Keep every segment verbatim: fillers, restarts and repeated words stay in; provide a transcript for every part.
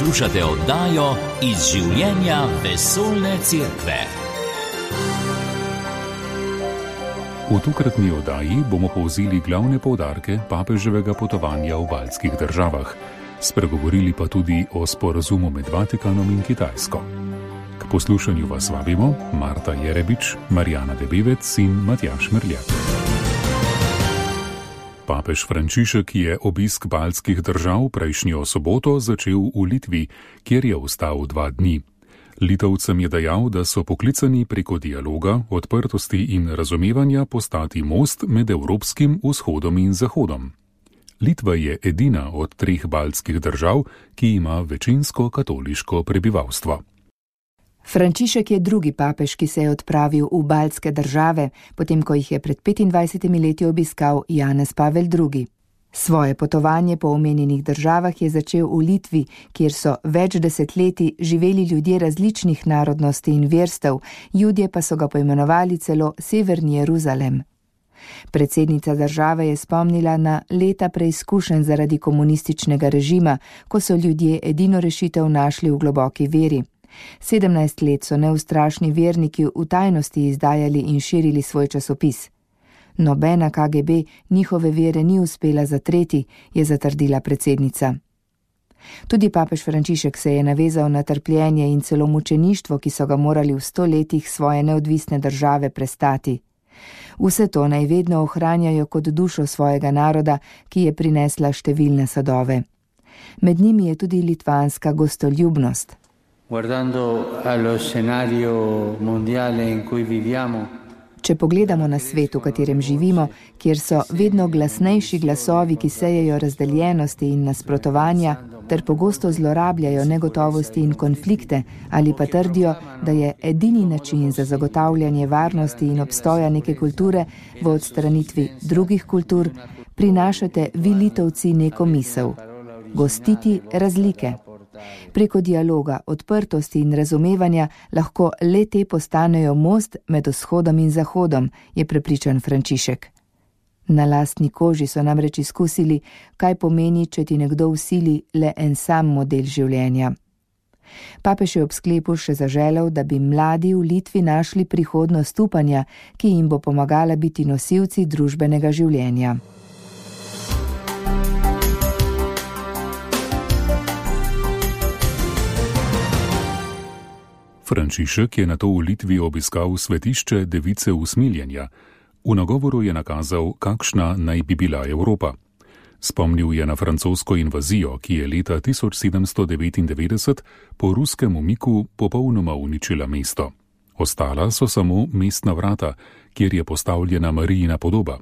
Poslušate oddajo Iz življenja vesoljne cerkve. V tokratni oddaji bomo povzeli glavne poudarke papeževega potovanja v baltskih državah. Spregovorili pa tudi o sporazumu med Vatikanom in Kitajsko. K poslušanju vas vabimo Marta Jerebič, Marjana Debevec in Matjaž Merljak. Papež Frančišek je obisk baltskih držav prejšnjo soboto začel v Litvi, kjer je ostal dva dni. Litovcem je dejal, da so poklicani preko dialoga, odprtosti in razumevanja postati most med Evropskim vzhodom in Zahodom. Litva je edina od treh baltskih držav, ki ima večinsko katoliško prebivalstvo. Frančišek je drugi papež, ki se je odpravil v baltske države, potem ko jih je pred petindvajsetimi leti obiskal Janez Pavel drugi. Svoje potovanje po omenjenih državah je začel v Litvi, kjer so več desetletij živeli ljudje različnih narodnosti in verstev, Judje pa so ga poimenovali celo Severni Jeruzalem. Predsednica države je spomnila na leta preizkušenj zaradi komunističnega režima, ko so ljudje edino rešitev našli v globoki veri. Sedemnajst let so neustrašni verniki v tajnosti izdajali in širili svoj časopis. Nobena K G B njihove vere ni uspela zatreti, je zatrdila predsednica. Tudi papež Frančišek se je navezal na trpljenje in celo mučeništvo, ki so ga morali v sto letih svoje neodvisne države prestati. Vse to naj vedno ohranjajo kot dušo svojega naroda, ki je prinesla številne sadove. Med njimi je tudi litvanska gostoljubnost. Guardando allo scenario mondiale in cui viviamo, Če pogledamo na svet, v katerem živimo, kjer so vedno glasnejši glasovi, ki sejejo razdeljenosti in nasprotovanja, ter pogosto zlorabljajo negotovosti in konflikte, ali pa trdijo, da je edini način za zagotavljanje varnosti in obstoja neke kulture v odstranitvi drugih kultur, prinašate vi Litovci neko misel: gostiti razlike. Preko dialoga, odprtosti in razumevanja lahko le te postanejo most med vzhodom in zahodom, je prepričan Frančišek. Na lastni koži so namreč izkusili, kaj pomeni, če ti nekdo vsili le en sam model življenja. Papež je ob sklepu še zaželel, da bi mladi v Litvi našli prihodnost upanja, ki jim bo pomagala biti nosilci družbenega življenja. Frančišek je nato v Litvi obiskal svetišče Device usmiljenja. V nagovoru je nakazal, kakšna naj bi bila Evropa. Spomnil je na francosko invazijo, ki je leta tisoč sedemsto devetindevetdeset po ruskem umiku popolnoma uničila mesto. Ostala so samo mestna vrata, kjer je postavljena Marijina podoba.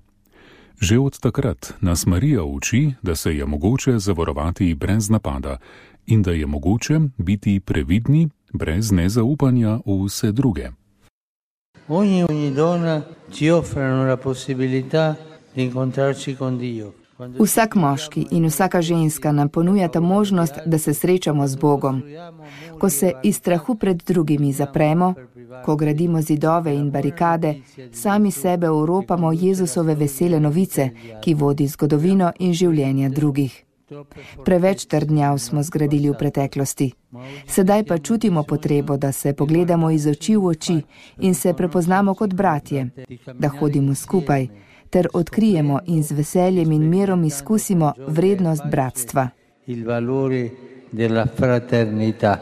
Že od takrat nas Marija uči, da se je mogoče zavarovati brez napada in da je mogoče biti previdni brez nezaupanja v vse druge. ogni ogni donna ci offrono la possibilità di incontrarci con Dio. Vsak moški in vsaka ženska nam ponujata možnost, da se srečamo z Bogom. Ko se iz strahu pred drugimi zapremo, ko gradimo zidove in barikade, sami sebe oropamo Jezusove vesele novice, ki vodi zgodovino in življenja drugih. Preveč trdnjav smo zgradili v preteklosti. Sedaj pa čutimo potrebo, da se pogledamo iz oči v oči in se prepoznamo kot bratje, da hodimo skupaj, ter odkrijemo in z veseljem in mirom izkusimo vrednost bratstva. Il valore della fraternità.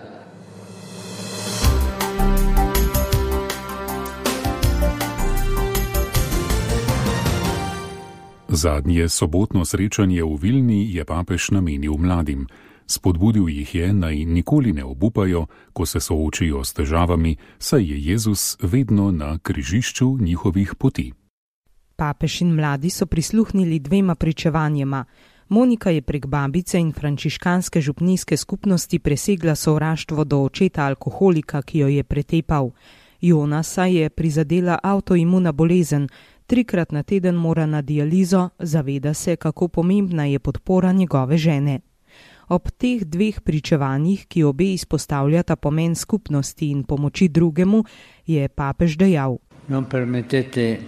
Zadnje sobotno srečanje v Vilni je papež namenil mladim. Spodbudil jih je, naj nikoli ne obupajo, ko se soočijo s težavami, saj je Jezus vedno na križišču njihovih poti. Papež in mladi so prisluhnili dvema pričevanjema. Monika je prek babice in frančiškanske župnijske skupnosti presegla sovraštvo do očeta alkoholika, ki jo je pretepal. Jonasa je prizadela avtoimuna bolezen, trikrat na teden mora na dializo, zaveda se, kako pomembna je podpora njegove žene. Ob teh dveh pričevanjih, ki obe izpostavljata pomen skupnosti in pomoči drugemu, je papež dejal: Non permettete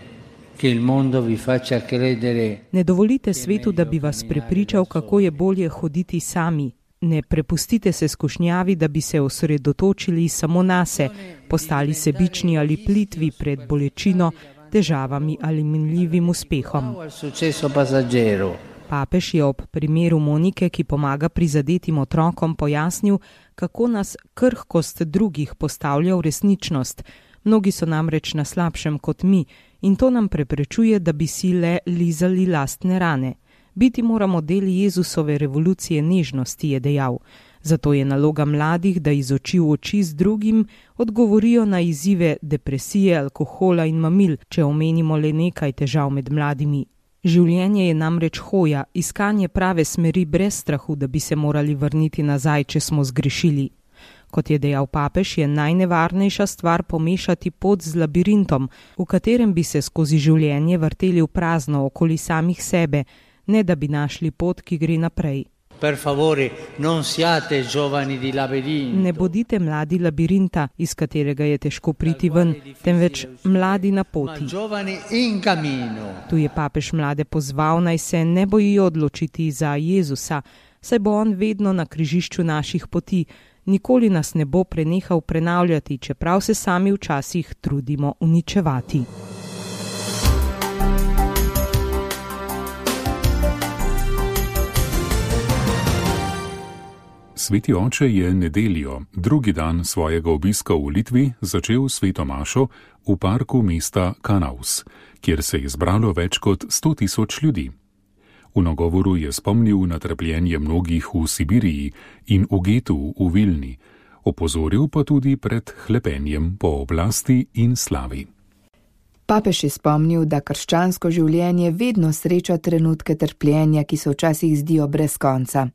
che il mondo vi faccia credere. Ne dovolite svetu, da bi vas prepričal, kako je bolje hoditi sami. Ne prepustite se skušnjavi, da bi se osredotočili samo nase, postali sebični ali plitvi pred bolečino, težavami ali minljivim uspehom. Papež je ob primeru Monike, ki pomaga prizadetim otrokom, pojasnil, kako nas krhkost drugih postavlja v resničnost. Mnogi so namreč na slabšem kot mi in to nam preprečuje, da bi si le lizali lastne rane. Biti moramo del Jezusove revolucije nežnosti, je dejal. Zato je naloga mladih, da iz oči v oči z drugim odgovorijo na izzive depresije, alkohola in mamil, če omenimo le nekaj težav med mladimi. Življenje je namreč hoja, iskanje prave smeri brez strahu, da bi se morali vrniti nazaj, če smo zgrešili. Kot je dejal papež, je najnevarnejša stvar pomešati pot z labirintom, v katerem bi se skozi življenje vrteli v prazno okoli samih sebe, ne da bi našli pot, ki gre naprej. Per favore, non siate giovani di labirinto. Ne bodite mladi labirinta, iz katerega je težko priti ven, temveč mladi na poti. Tu je papež mlade pozval, naj se ne bojijo odločiti za Jezusa, saj bo on vedno na križišču naših poti. Nikoli nas ne bo prenehal prenavljati, čeprav se sami včasih trudimo uničevati. Sveti oče je nedeljo, drugi dan svojega obiska v Litvi, začel sveto mašo v parku mesta Kanaus, kjer se je zbralo več kot sto tisoč ljudi. V nagovoru je spomnil na trpljenje mnogih v Sibiriji in v getu v Vilni, opozoril pa tudi pred hlepenjem po oblasti in slavi. Papež je spomnil, da krščansko življenje vedno sreča trenutke trpljenja, ki se včasih zdijo brez konca.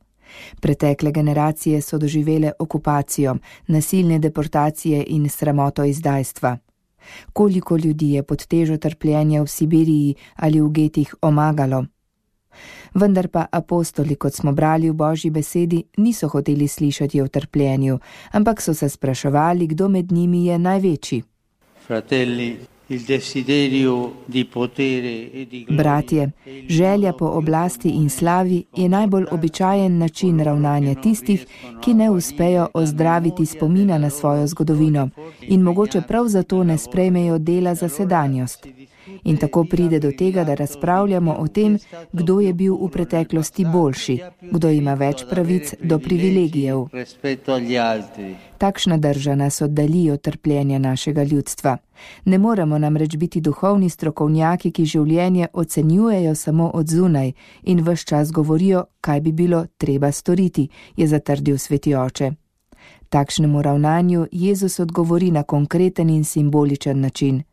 Pretekle generacije so doživele okupacijo, nasilne deportacije in sramoto izdajstva. Koliko ljudi je pod težo trpljenja v Sibiriji ali v getih omagalo? Vendar pa apostoli, kot smo brali v Božji besedi, niso hoteli slišati o trpljenju, ampak so se spraševali, kdo med njimi je največji. Fratelli, il desiderio di potere e di gloria. Bratje, želja po oblasti in slavi je najbolj običajen način ravnanja tistih, ki ne uspejo ozdraviti spomina na svojo zgodovino in mogoče prav zato ne sprejmejo dela za sedanjost. In tako pride do tega, da razpravljamo o tem, kdo je bil v preteklosti boljši, kdo ima več pravic do privilegijev. Takšna drža nas oddalji od trpljenja našega ljudstva. Ne moremo namreč biti duhovni strokovnjaki, ki življenje ocenjujejo samo od zunaj in ves čas govorijo, kaj bi bilo treba storiti, je zatrdil sveti oče. Takšnemu ravnanju Jezus odgovori na konkreten in simboličen način.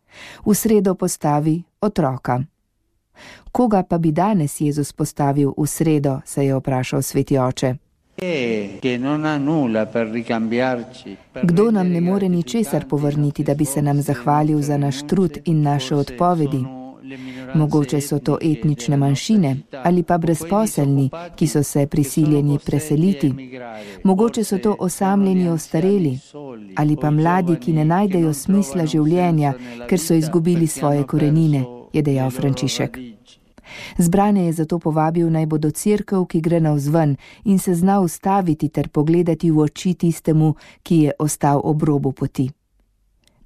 V sredo postavi otroka. Koga pa bi danes Jezus postavil v sredo, se je vprašal sveti oče. Kdo nam ne more ničesar povrniti, da bi se nam zahvalil za naš trud in naše odpovedi? Mogoče so to etnične manjšine ali pa brezposelni, ki so se prisiljeni preseliti. Mogoče so to osamljeni ostareli ali pa mladi, ki ne najdejo smisla življenja, ker so izgubili svoje korenine, je dejal Frančišek. Zbrane je zato povabil, naj bodo cerkev, ki gre navzven in se zna ustaviti ter pogledati v oči tistemu, ki je ostal ob robu poti.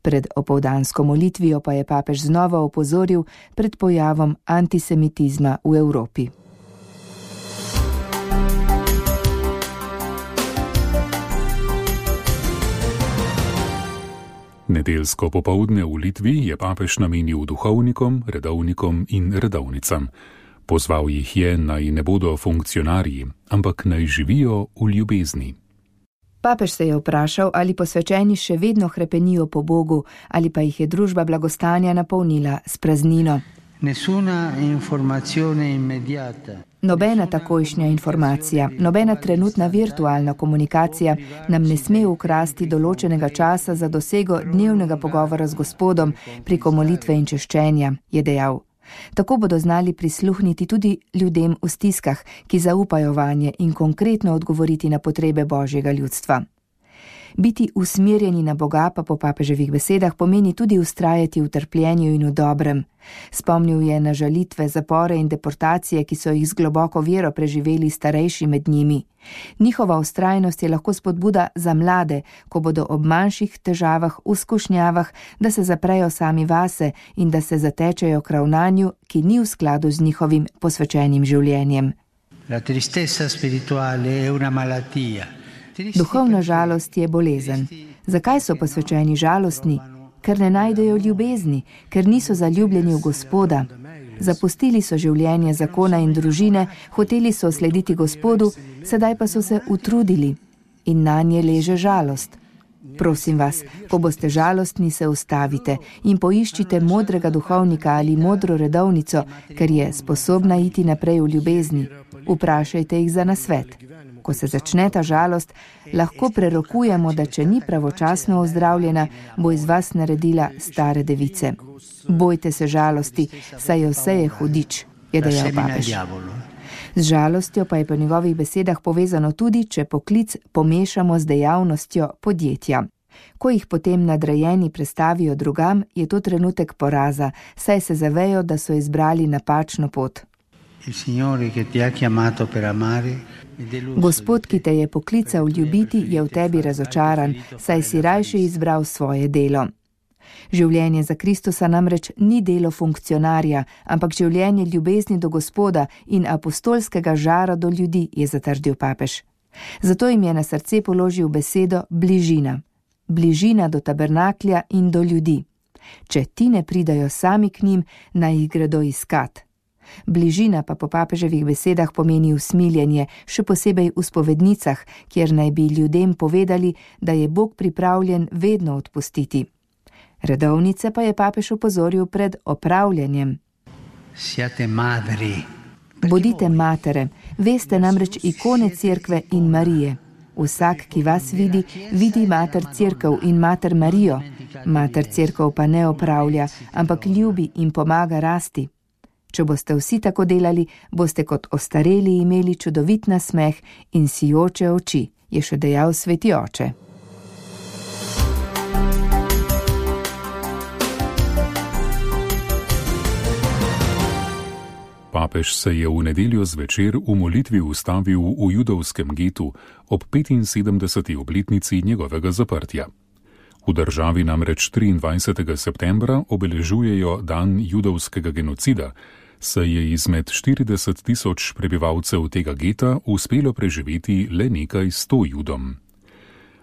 Pred opoldansko molitvijo pa je papež znova opozoril pred pojavom antisemitizma v Evropi. Nedeljsko popoldne v Litvi je papež namenil duhovnikom, redovnikom in redovnicam. Pozval jih je, naj ne bodo funkcionarji, ampak naj živijo v ljubezni. Papež se je vprašal, ali posvečeni še vedno hrepenijo po Bogu, ali pa jih je družba blagostanja napolnila s praznino. Nobena takojšnja informacija, nobena trenutna virtualna komunikacija nam ne sme ukrasti določenega časa za dosego dnevnega pogovora z Gospodom preko molitve in češčenja, je dejal. Tako bodo znali prisluhniti tudi ljudem v stiskah, ki zaupajo vanje in konkretno odgovoriti na potrebe Božjega ljudstva. Biti usmerjeni na Boga pa po papeževih besedah pomeni tudi ustrajati v trpljenju in v dobrem. Spomnil je na žalitve, zapore in deportacije, ki so jih z globoko vero preživeli starejši med njimi. Njihova ustrajnost je lahko spodbuda za mlade, ko bodo ob manjših težavah, v skušnjavah, da se zaprejo sami vase in da se zatečejo k ravnanju, ki ni v skladu z njihovim posvečenim življenjem. La tristezza spirituale è una malattia. Duhovna žalost je bolezen. Zakaj so posvečeni žalostni? Ker ne najdejo ljubezni, ker niso zaljubljeni v Gospoda. Zapustili so življenje zakona in družine, hoteli so slediti Gospodu, sedaj pa so se utrudili in nanje leže žalost. Prosim vas, ko boste žalostni, se ustavite in poiščite modrega duhovnika ali modro redovnico, ker je sposobna iti naprej v ljubezni. Vprašajte jih za nasvet. Ko se začne ta žalost, lahko prerokujemo, da če ni pravočasno ozdravljena, bo iz vas naredila stare device. Bojte se žalosti, saj jo seje hudič, je dejal papež. Z žalostjo pa je po njegovih besedah povezano tudi, če poklic pomešamo z dejavnostjo podjetja. Ko jih potem nadrejeni prestavijo drugam, je to trenutek poraza, saj se zavejo, da so izbrali napačno pot. Gospod, ki te je poklical ljubiti, je v tebi razočaran, saj si rajše izbral svoje delo. Življenje za Kristusa namreč ni delo funkcionarja, ampak življenje ljubezni do Gospoda in apostolskega žara do ljudi, je zatrdil papež. Zato jim je na srce položil besedo bližina. Bližina do tabernaklja in do ljudi. Če ti ne pridajo sami k njim, naj jih gredo iskat. Bližina pa po papeževih besedah pomeni usmiljenje, še posebej v spovednicah, kjer naj bi ljudem povedali, da je Bog pripravljen vedno odpustiti. Redovnice pa je papež opozoril pred opravljanjem. Bodite matere, veste namreč ikone Cerkve in Marije. Vsak, ki vas vidi, vidi mater Cerkev in mater Marijo. Mater Cerkev pa ne opravlja, ampak ljubi in pomaga rasti. Če boste vsi tako delali, boste kot ostareli imeli čudovit nasmeh in sijoče oči, je še dejal sveti oče. Papež se je v nedeljo zvečer v molitvi ustavil v judovskem getu ob petinsedemdeseti obletnici njegovega zaprtja. V državi namreč triindvajsetega septembra obeležujejo dan judovskega genocida, saj je izmed štirideset tisoč prebivalcev tega geta uspelo preživeti le nekaj sto Judom.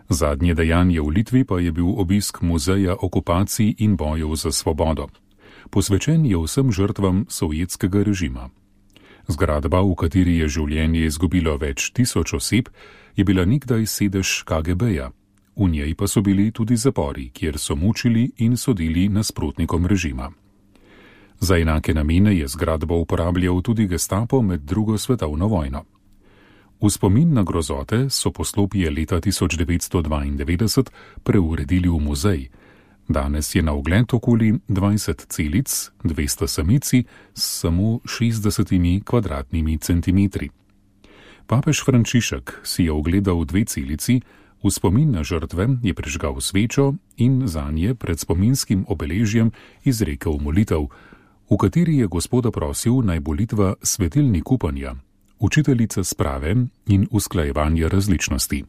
Zadnje dejanje v Litvi pa je bil obisk muzeja okupacij in bojev za svobodo. Posvečen je vsem žrtvam sovjetskega režima. Zgradba, v kateri je življenje izgubilo več tisoč oseb, je bila nikdaj sedež K G B-ja. V njej pa so bili tudi zapori, kjer so mučili in sodili nasprotnikom režima. Za enake namene je zgradbo uporabljal tudi Gestapo med drugo svetovno vojno. V spomin na grozote so poslopje leta tisoč devetsto dvaindevetdeset preuredili v muzej. Danes je na ogled okoli dvajset celic, dvesto samici s samo šestdesetimi kvadratnimi centimetri. Papež Frančišek si je ogledal dve celici, v spomin na žrtve je prižgal svečo in zanje pred spominskim obeležjem izrekel molitev, v kateri je Gospoda prosil, naj bo Litva svetilnik upanja, učiteljica sprave in usklajevanja različnosti.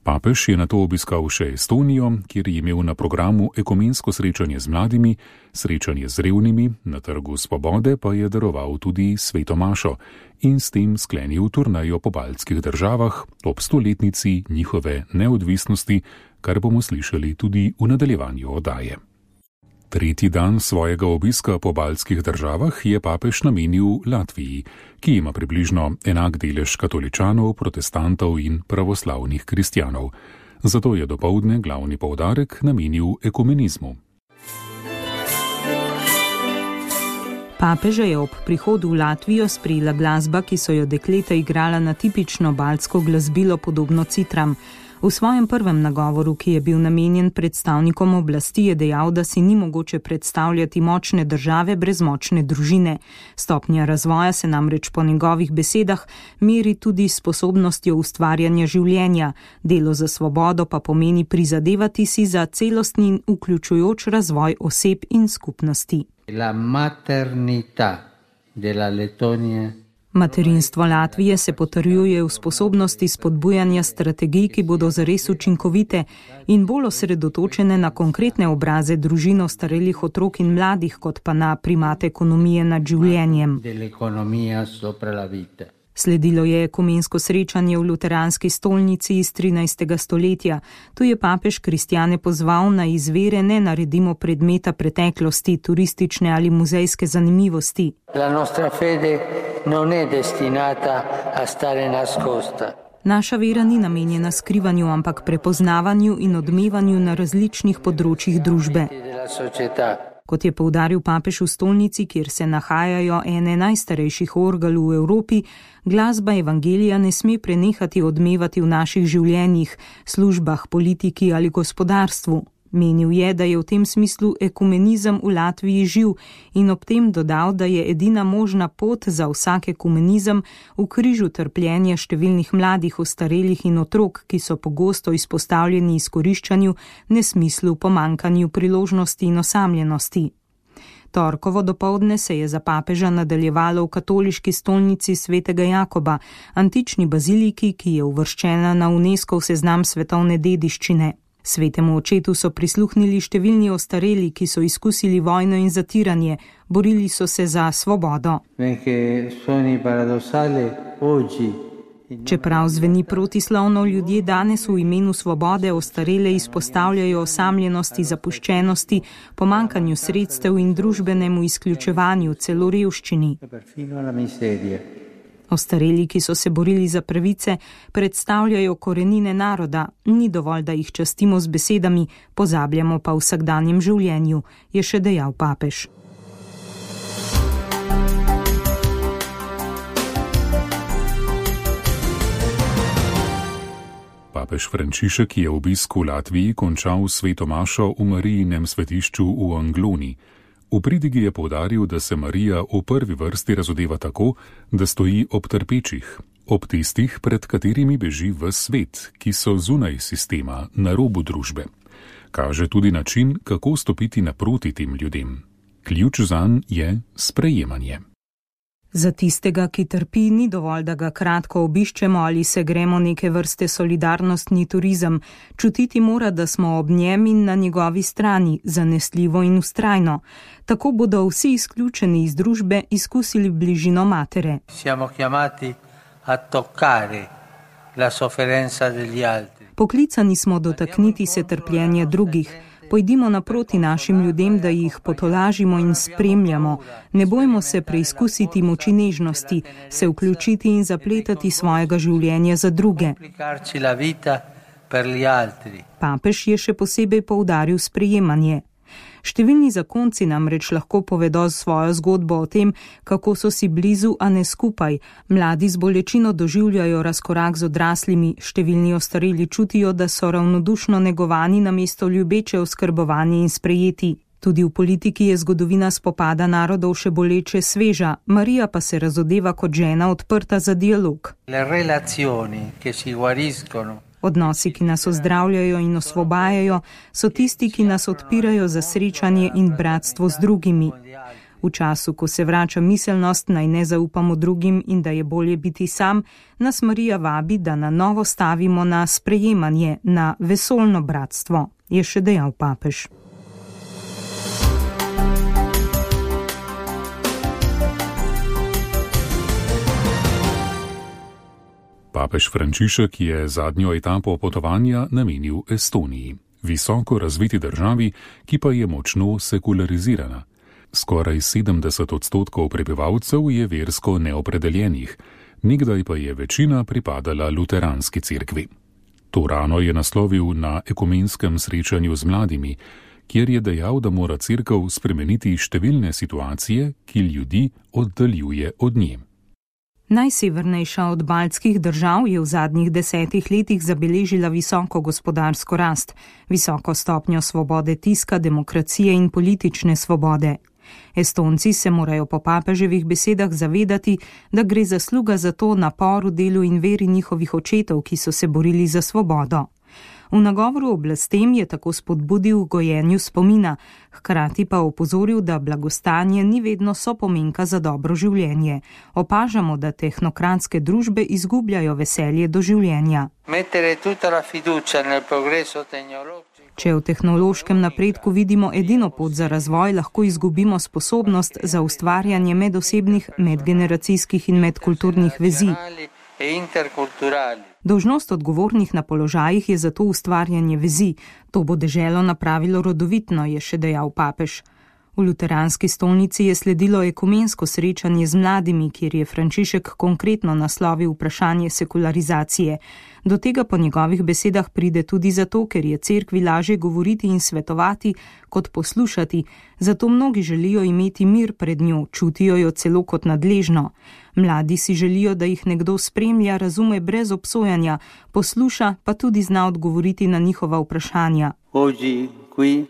Papež je nato obiskal še Estonijo, kjer je imel na programu ekumensko srečanje z mladimi, srečanje z revnimi, na Trgu svobode pa je daroval tudi sveto mašo in s tem sklenil turnejo po baltskih državah ob stoletnici njihove neodvisnosti, kar bomo slišali tudi v nadaljevanju oddaje. Tretji dan svojega obiska po baltskih državah je papež namenil Latviji, ki ima približno enak delež katoličanov, protestantov in pravoslavnih kristjanov. Zato je dopoldne glavni poudarek namenil ekumenizmu. Papeža je ob prihodu v Latvijo sprejela glasba, ki so jo dekleta igrala na tipično baltsko glasbilo podobno citram. V svojem prvem nagovoru, ki je bil namenjen predstavnikom oblasti, je dejal, da si ni mogoče predstavljati močne države brez močne družine. Stopnja razvoja se namreč po njegovih besedah meri tudi s sposobnostjo ustvarjanja življenja. Delo za svobodo pa pomeni prizadevati si za celostni in vključujoč razvoj oseb in skupnosti. La maternità della Lettonia. Materinstvo Latvije se potrjuje v sposobnosti spodbujanja strategij, ki bodo zares učinkovite in bolj osredotočene na konkretne obraze družin ostarelih otrok in mladih, kot pa na primat ekonomije nad življenjem. Sledilo je ekumensko srečanje v luteranski stolnici iz trinajstega stoletja. Tu je papež kristjane pozval, naj iz vere ne naredimo predmeta preteklosti, turistične ali muzejske zanimivosti. La nostra fede non è destinata a stare nascosta. Naša vera ni namenjena skrivanju, ampak prepoznavanju in odmevanju na različnih področjih družbe. Kot je poudaril papež v stolnici, kjer se nahajajo ene najstarejših orgel v Evropi, glasba evangelija ne sme prenehati odmevati v naših življenjih, službah, politiki ali gospodarstvu. Menil je, da je v tem smislu ekumenizem v Latviji živ in ob tem dodal, da je edina možna pot za vsak ekumenizem v križu trpljenja številnih mladih, ostarelih in otrok, ki so pogosto izpostavljeni izkoriščanju, nesmislu, pomankanju priložnosti in osamljenosti. Torkovo dopoldne se je za papeža nadaljevalo v katoliški stolnici svetega Jakoba, antični baziliki, ki je uvrščena na UNESCOV seznam svetovne dediščine. Svetemu očetu so prisluhnili številni ostareli, ki so izkusili vojno in zatiranje, borili so se za svobodo. Čeprav zveni protislovno, ljudje danes v imenu svobode ostarele izpostavljajo osamljenosti, zapuščenosti, pomankanju sredstev in družbenemu izključevanju, celo revščini. Ostareli, ki so se borili za pravice, predstavljajo korenine naroda, ni dovolj, da jih častimo z besedami, pozabljamo pa v vsakdanjem življenju, je še dejal papež. Papež Frančišek je obisk v Latviji končal sveto mašo v Marijinem svetišču v Angloni. V pridigi je poudaril, da se Marija v prvi vrsti razodeva tako, da stoji ob trpečih, ob tistih, pred katerimi beži ves svet, ki so zunaj sistema, na robu družbe. Kaže tudi način, kako stopiti naproti tem ljudem. Ključ zanj je sprejemanje. Za tistega, ki trpi, ni dovolj, da ga kratko obiščemo ali se gremo neke vrste solidarnostni turizem. Čutiti mora, da smo ob njem in na njegovi strani, zanesljivo in vztrajno. Tako bodo vsi izključeni iz družbe izkusili bližino matere. Siamo chiamati a toccare la sofferenza degli altri. Poklicani smo dotakniti se trpljenja drugih. Pojdimo naproti našim ljudem, da jih potolažimo in spremljamo. Ne bojmo se preizkusiti moči nežnosti, se vključiti in zapletati svojega življenja za druge. Papež je še posebej poudaril sprejemanje. Številni zakonci namreč lahko povedo svojo zgodbo o tem, kako so si blizu, a ne skupaj. Mladi z bolečino doživljajo razkorak z odraslimi, številni ostareli čutijo, da so ravnodušno negovani namesto ljubeče oskrbovani in sprejeti. Tudi v politiki je zgodovina spopada narodov še boleče sveža, Marija pa se razodeva kot žena odprta za dialog. Le relazioni che si guariscono. Odnosi, ki nas ozdravljajo in osvobajajo, so tisti, ki nas odpirajo za srečanje in bratstvo z drugimi. V času, ko se vrača miselnost, naj ne zaupamo drugim in da je bolje biti sam, nas Marija vabi, da na novo stavimo na sprejemanje, na vesoljno bratstvo, je še dejal papež. Papež Frančišek je zadnjo etapo potovanja namenil Estoniji, visoko razviti državi, ki pa je močno sekularizirana. Skoraj sedemdeset odstotkov prebivalcev je versko neopredeljenih, nekdaj pa je večina pripadala luteranski cerkvi. To rano je naslovil na ekumenskem srečanju z mladimi, kjer je dejal, da mora cerkev spremeniti številne situacije, ki ljudi oddaljuje od nje. Najsevernejša od baltskih držav je v zadnjih desetih letih zabeležila visoko gospodarsko rast, visoko stopnjo svobode tiska, demokracije in politične svobode. Estonci se morajo po papeževih besedah zavedati, da gre zasluga za to naporu, delu in veri njihovih očetov, ki so se borili za svobodo. V nagovoru oblastem je tako spodbudil gojenju spomina, hkrati pa opozoril, da blagostanje ni vedno sopomenka za dobro življenje. Opažamo, da tehnokratske družbe izgubljajo veselje do življenja. Če v tehnološkem napredku vidimo edino pot za razvoj, lahko izgubimo sposobnost za ustvarjanje medosebnih, medgeneracijskih in medkulturnih vezi. Dolžnost odgovornih na položajih je zato ustvarjanje vezi. To bo deželo napravilo rodovitno, je še dejal papež. V luteranski stolnici je sledilo ekumensko srečanje z mladimi, kjer je Frančišek konkretno naslovil vprašanje sekularizacije. Do tega po njegovih besedah pride tudi zato, ker je cerkvi lažje govoriti in svetovati, kot poslušati. Zato mnogi želijo imeti mir pred njo, čutijo jo celo kot nadležno. Mladi si želijo, da jih nekdo spremlja, razume brez obsojanja, posluša, pa tudi zna odgovoriti na njihova vprašanja. Oggi qui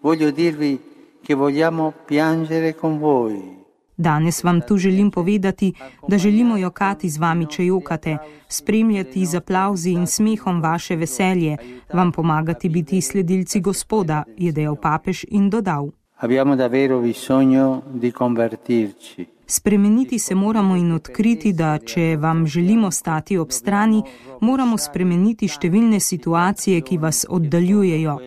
voglio dirvi che vogliamo piangere con voi. Danes vam tu želim povedati, da želimo jokati z vami, če jokate, spremljati z aplavzi in smehom vaše veselje, vam pomagati biti sledilci Gospoda, je dejal papež in dodal. Abbiamo davvero bisogno di convertirci. Spremeniti se moramo in odkriti, da če vam želimo stati ob strani, moramo spremeniti številne situacije, ki vas oddaljujejo.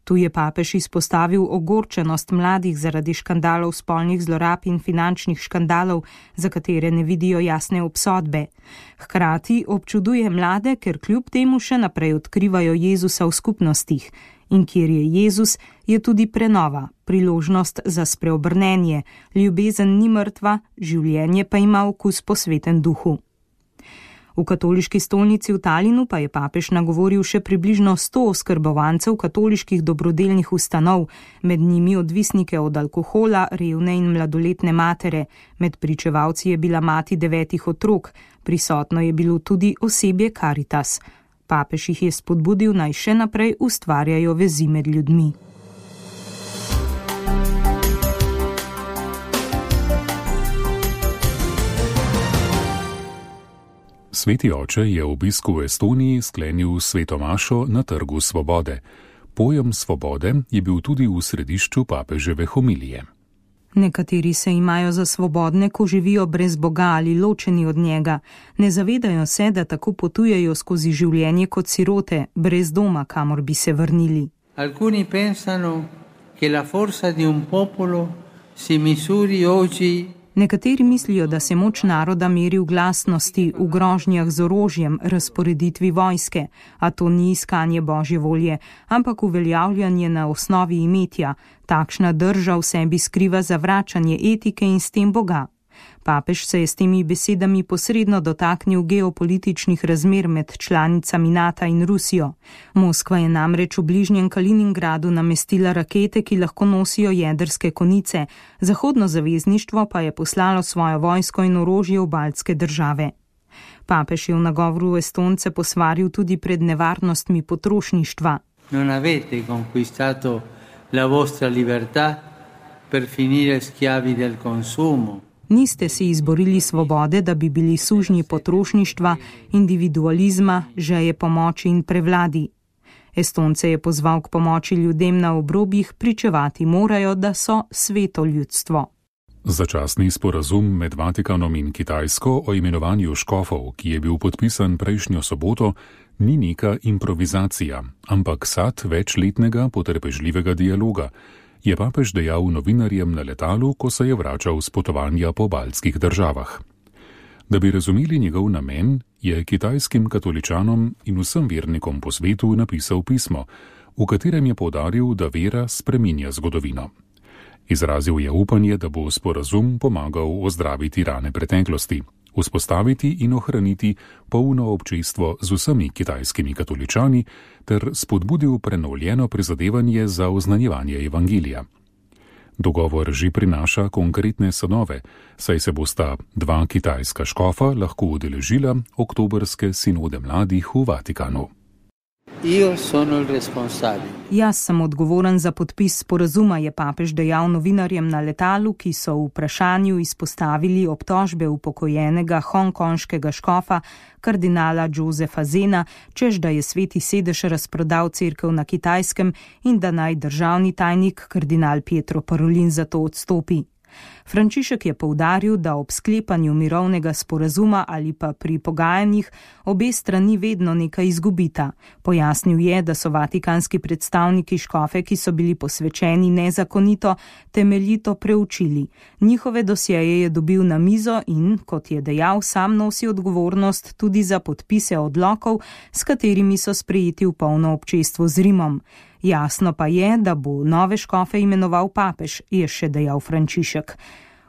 Tu je papež izpostavil ogorčenost mladih zaradi škandalov spolnih zlorab in finančnih škandalov, za katere ne vidijo jasne obsodbe. Hkrati občuduje mlade, ker kljub temu še naprej odkrivajo Jezusa v skupnostih. In kjer je Jezus, je tudi prenova, priložnost za spreobrnenje. Ljubezen ni mrtva, življenje pa ima okus po Svetem duhu. V katoliški stolnici v Talinu pa je papež nagovoril še približno sto oskrbovancev katoliških dobrodelnih ustanov, med njimi odvisnike od alkohola, revne in mladoletne matere. Med pričevalci je bila mati devetih otrok, prisotno je bilo tudi osebje Caritas. Papež jih je spodbudil, naj še naprej ustvarjajo vezi med ljudmi. Sveti oče je v obisku v Estoniji sklenil sveto mašo na Trgu svobode. Pojem svobode je bil tudi v središču papeževe homilije. Nekateri se imajo za svobodne, ko živijo brez Boga ali ločeni od njega. Ne zavedajo se, da tako potujejo skozi življenje kot sirote, brez doma, kamor bi se vrnili. Alcuni pensano che la forza di un popolo si misuri oggi. Nekateri mislijo, da se moč naroda meri v glasnosti, v grožnjah z orožjem, razporeditvi vojske, a to ni iskanje Božje volje, ampak uveljavljanje na osnovi imetja. Takšna drža v sebi skriva zavračanje etike in s tem Boga. Papež se je s temi besedami posredno dotaknil geopolitičnih razmer med članicami NATO in Rusijo. Moskva je namreč v bližnjem Kaliningradu namestila rakete, ki lahko nosijo jedrske konice, Zahodno zavezništvo pa je poslalo svojo vojsko in orožje v baltske države. Papež je v nagovoru Estonce posvaril tudi pred nevarnostmi potrošništva. Non avete conquistato la vostra libertà per finire schiavi del consumo. Niste si izborili svobode, da bi bili sužnji potrošništva, individualizma, žeje pomoči in prevladi. Estonce je pozval k pomoči ljudem na obrobjih, pričevati morajo, da so sveto ljudstvo. Začasni sporazum med Vatikanom in Kitajsko o imenovanju škofov, ki je bil podpisan prejšnjo soboto, ni neka improvizacija, ampak sad večletnega potrpežljivega dialoga, je papež dejal novinarjem na letalu, ko se je vračal z potovanja po baltskih državah. Da bi razumeli njegov namen, je kitajskim katoličanom in vsem vernikom po svetu napisal pismo, v katerem je poudaril, da vera spreminja zgodovino. Izrazil je upanje, da bo sporazum pomagal ozdraviti rane preteklosti, vzpostaviti in ohraniti polno občestvo z vsemi kitajskimi katoličani ter spodbudil prenovljeno prizadevanje za oznanjevanje evangelija. Dogovor že prinaša konkretne sadove, saj se bosta dva kitajska škofa lahko udeležila oktobrske sinode mladih v Vatikanu. Jaz sem odgovoren za podpis sporazuma, je papež dejal novinarjem na letalu, ki so v vprašanju izpostavili obtožbe upokojenega hongkonškega škofa kardinala Josefa Zena, čež da je Sveti sedež razprodal cerkev na Kitajskem in da naj državni tajnik kardinal Pietro Parolin za to odstopi. Frančišek je poudaril, da ob sklepanju mirovnega sporazuma ali pa pri pogajanjih obe strani vedno nekaj izgubita. Pojasnil je, da so vatikanski predstavniki škofe, ki so bili posvečeni nezakonito, temeljito preučili. Njihove dosjeje je dobil na mizo in, kot je dejal, sam nosi odgovornost tudi za podpise odlokov, s katerimi so sprejeti v polno občestvo z Rimom. Jasno pa je, da bo nove škofe imenoval papež, je še dejal Frančišek.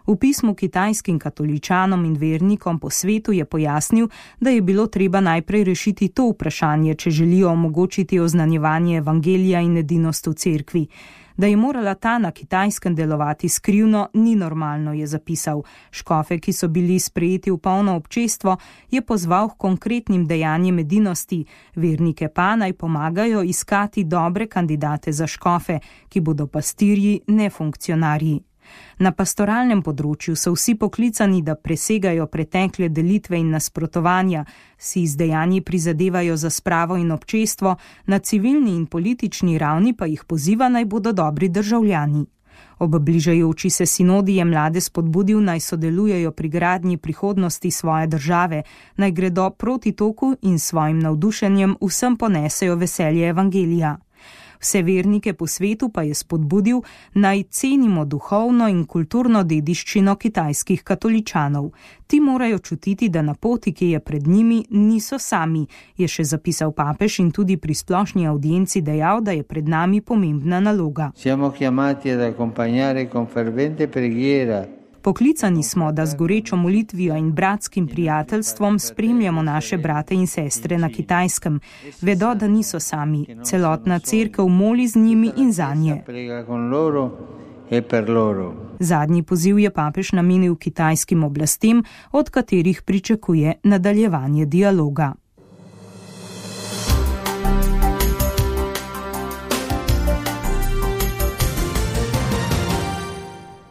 V pismu kitajskim katoličanom in vernikom po svetu je pojasnil, da je bilo treba najprej rešiti to vprašanje, če želijo omogočiti oznanjevanje evangelija in edinost v cerkvi. Da je morala ta na Kitajskem delovati skrivno, ni normalno, je zapisal. Škofe, ki so bili sprejeti v polno občestvo, je pozval k konkretnim dejanjem edinosti, vernike pa naj pomagajo iskati dobre kandidate za škofe, ki bodo pastirji, ne funkcionarji. Na pastoralnem področju so vsi poklicani, da presegajo pretekle delitve in nasprotovanja, si z dejanji prizadevajo za spravo in občestvo, na civilni in politični ravni pa jih poziva naj bodo dobri državljani. Ob bližajoči se sinodi je mlade spodbudil naj sodelujejo pri gradnji prihodnosti svoje države, naj gredo proti toku in svojim navdušenjem vsem ponesejo veselje evangelija. Vse vernike po svetu pa je spodbudil, naj cenimo duhovno in kulturno dediščino kitajskih katoličanov. Ti morajo čutiti, da na poti, ki je pred njimi, niso sami, je še zapisal papež in tudi pri splošni audienci dejal, da je pred nami pomembna naloga. Siamo chiamati ad accompagnare con fervente preghiera. Poklicani smo, da z gorečo molitvijo in bratskim prijateljstvom spremljamo naše brate in sestre na Kitajskem. Vedo, da niso sami. Celotna cerkev moli z njimi in zanje. Zadnji poziv je papež namenil kitajskim oblastem, od katerih pričakuje nadaljevanje dialoga.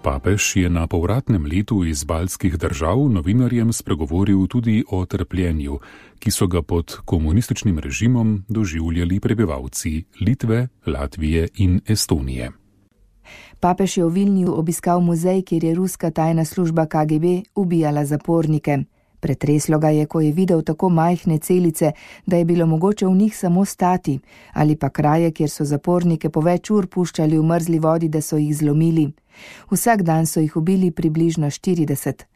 Papež je na povratnem letu iz baltskih držav novinarjem spregovoril tudi o trpljenju, ki so ga pod komunističnim režimom doživljali prebivalci Litve, Latvije in Estonije. Papež je v Vilniju obiskal muzej, kjer je ruska tajna služba K G B ubijala zapornike. Pretreslo ga je, ko je videl tako majhne celice, da je bilo mogoče v njih samo stati, ali pa kraje, kjer so zapornike po več ur puščali v mrzli vodi, da so jih zlomili. Vsak dan so jih ubili približno štirideset.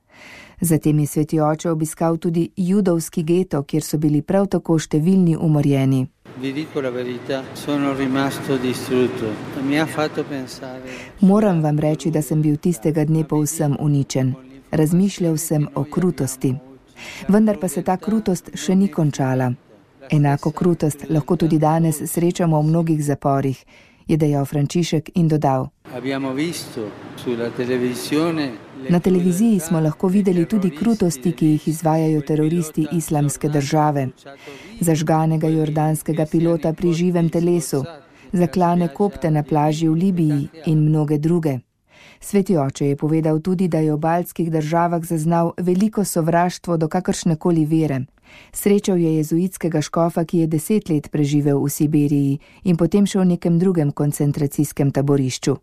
Zatem je sveti oče obiskal tudi judovski geto, kjer so bili prav tako številni umorjeni. Moram vam reči, da sem bil tistega dne povsem uničen. Razmišljal sem o krutosti. Vendar pa se ta krutost še ni končala. Enako krutost lahko tudi danes srečamo v mnogih zaporih, je dejal Frančišek in dodal. Na televiziji smo lahko videli tudi krutosti, ki jih izvajajo teroristi Islamske države. Zažganega jordanskega pilota pri živem telesu, zaklane kopte na plaži v Libiji in mnoge druge. Sveti oče je povedal tudi, da je v baltskih državah zaznal veliko sovraštvo do kakršnekoli vere. Srečal je jezuitskega škofa, ki je deset let preživel v Sibiriji in potem še v nekem drugem koncentracijskem taborišču.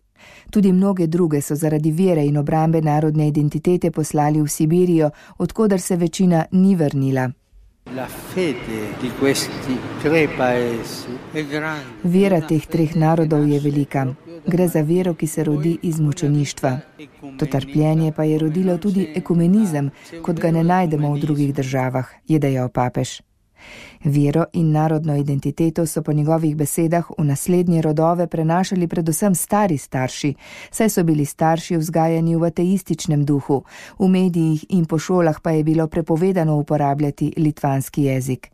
Tudi mnoge druge so zaradi vere in obrambe narodne identitete poslali v Sibirijo, odkoder se večina ni vrnila. Vera teh treh narodov je velika. Gre za vero, ki se rodi iz mučeništva. To trpljenje pa je rodilo tudi ekumenizem, kot ga ne najdemo v drugih državah, je dejal papež. Vero in narodno identiteto so po njegovih besedah v naslednje rodove prenašali predvsem stari starši, saj so bili starši vzgajani v ateističnem duhu, v medijih in po šolah pa je bilo prepovedano uporabljati litvanski jezik.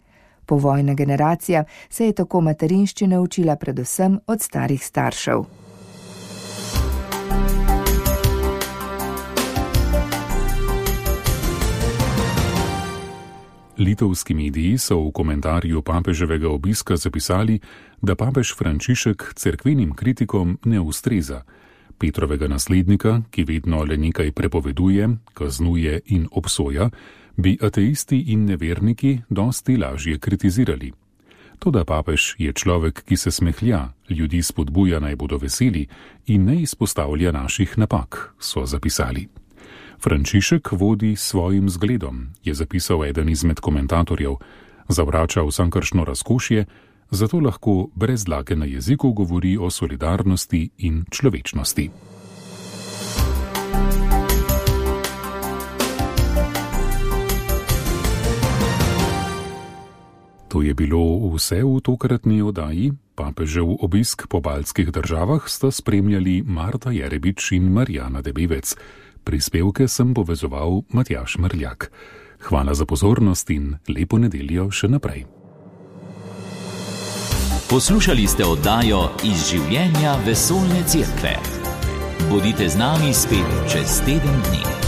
Povojna generacija se je tako materinščine učila predvsem od starih staršev. Litovski mediji so v komentarju papeževega obiska zapisali, da papež Frančišek cerkvenim kritikom ne ustreza. Petrovega naslednika, ki vedno le nekaj prepoveduje, kaznuje in obsoja, bi ateisti in neverniki dosti lažje kritizirali. Toda papež je človek, ki se smehlja, ljudi spodbuja naj bodo veseli in ne izpostavlja naših napak, so zapisali. Frančišek vodi svojim zgledom, je zapisal eden izmed komentatorjev, zavrača vsakršno razkošje, zato lahko brez dlake na jeziku govori o solidarnosti in človečnosti. To je bilo vse v tokratni oddaji. Papežev obisk po baltskih državah sta spremljali Marta Jerebič in Marjana Debevec. Prispevke sem povezoval Matjaž Mrljak. Hvala za pozornost in lepo nedeljo še naprej. Poslušali ste oddajo Iz življenja vesoljne cerkve. Bodite z nami spet čez teden dni.